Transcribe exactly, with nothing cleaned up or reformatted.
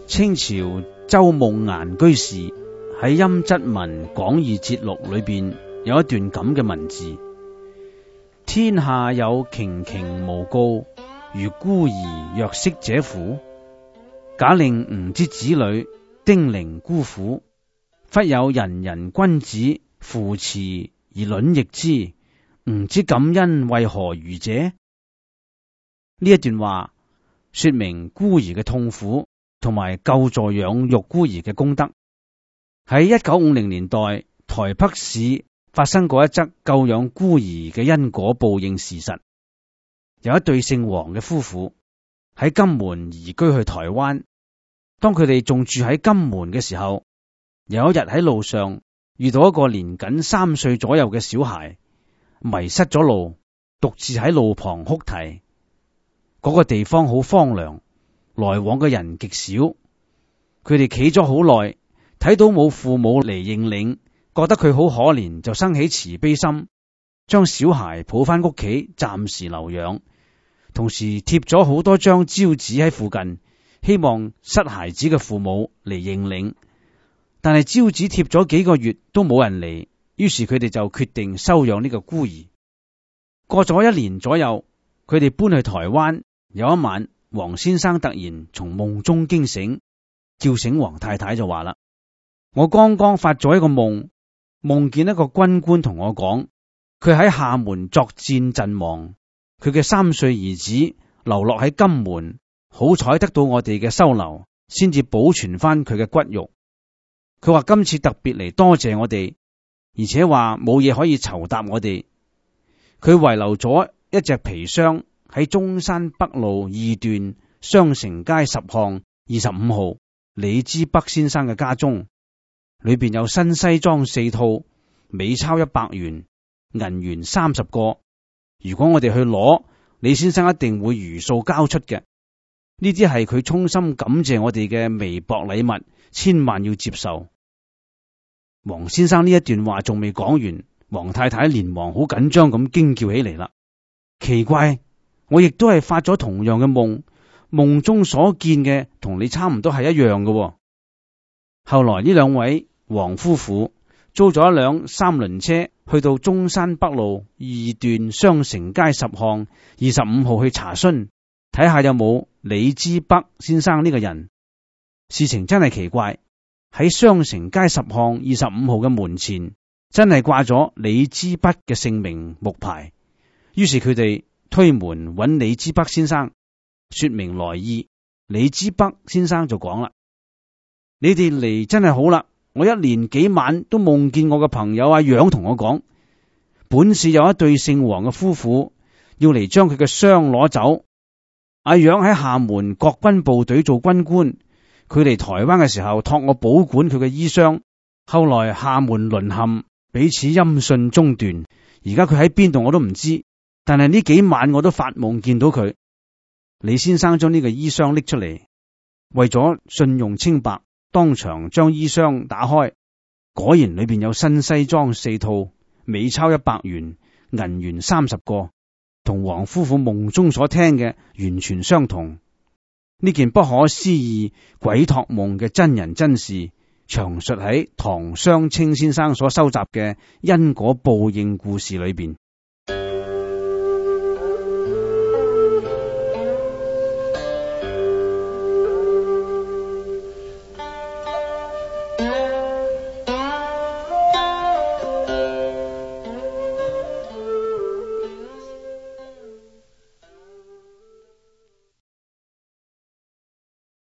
清朝周夢顏居士喺《陰質文講義節錄》裏邊有一段咁嘅文字：天下有頃頃誣告，如孤兒若息者乎？假令吾之子女丁零孤苦，忽有仁人君子扶持而卵翼之，吾之感恩為何如者？呢一段話說明孤兒嘅痛苦，同埋救助養育孤兒嘅功德。喺一九五零年代，台北市發生過一則救養孤兒嘅因果報應事實。有一對姓黃嘅夫婦喺金門移居去台灣，當佢哋仲住喺金門嘅時候，有一日喺路上遇到一個年僅三歲左右嘅小孩，迷失咗路，獨自喺路旁哭啼。嗰、那個地方好荒涼，來往嘅人極少，佢哋企咗好耐，睇到冇父母嚟認領，覺得佢好可憐，就生起慈悲心，將小孩抱翻屋企暫時留養，同時貼咗好多張招紙喺附近，希望失孩子嘅父母嚟認領。但係招紙貼咗幾個月都冇人嚟，於是佢哋就決定收養呢個孤兒。過咗一年左右，佢哋搬去台灣。有一晚，黃先生突然從夢中驚醒，叫醒黃太太就話啦：我剛剛發咗一個夢，夢見一個軍官同我講，佢喺廈門作戰陣亡，佢嘅三歲兒子流落喺金門，好彩得到我哋嘅收留，先至保存翻佢嘅骨肉。佢話今次特別嚟多謝我哋，而且話冇嘢可以酬答我哋。佢遺留咗一隻皮箱喺中山北路二段雙城街十巷二十五號李之北先生嘅家中，裏邊有新西裝四套，美鈔一百元，銀元三十個。如果我哋去攞，李先生一定會如數交出嘅。呢啲係佢衷心感謝我哋嘅微薄禮物，千萬要接受。黃先生呢一段話仲未講完，黃太太連忙好緊張咁驚叫起嚟啦。奇怪，我亦都係發咗同樣嘅夢，夢中所見嘅同你差唔多係一樣嘅喎。後來呢兩位黃夫婦租咗一輛三輪車，去到中山北路二段雙城街十巷二十五號去查詢，睇下有冇李之北先生呢個人。事情真係奇怪，喺雙城街十巷二十五號嘅門前真係掛咗李之北嘅姓名木牌。於是佢哋推門揾李之北先生，說明來意。李之北先生就講啦：你哋嚟真係好啦，我一連幾晚都夢見我嘅朋友阿楊同我講，本市有一對姓黃嘅夫婦要嚟將佢嘅傷攞走。阿楊喺廈門國軍部隊做軍官，佢嚟台灣嘅時候託我保管佢嘅衣傷，後來廈門淪陷，彼此音訊中斷，而家佢喺邊度我都唔知，但係呢幾晚我都發夢見到佢。李先生將呢個衣箱拎出嚟，為咗信用清白，當場將衣箱打開，果然裏邊有新西裝四套，美鈔一百元，銀元三十個，同黃夫婦夢中所聽嘅完全相同。呢件不可思議鬼託夢嘅真人真事，詳述喺唐湘清先生所收集嘅因果報應故事裏邊。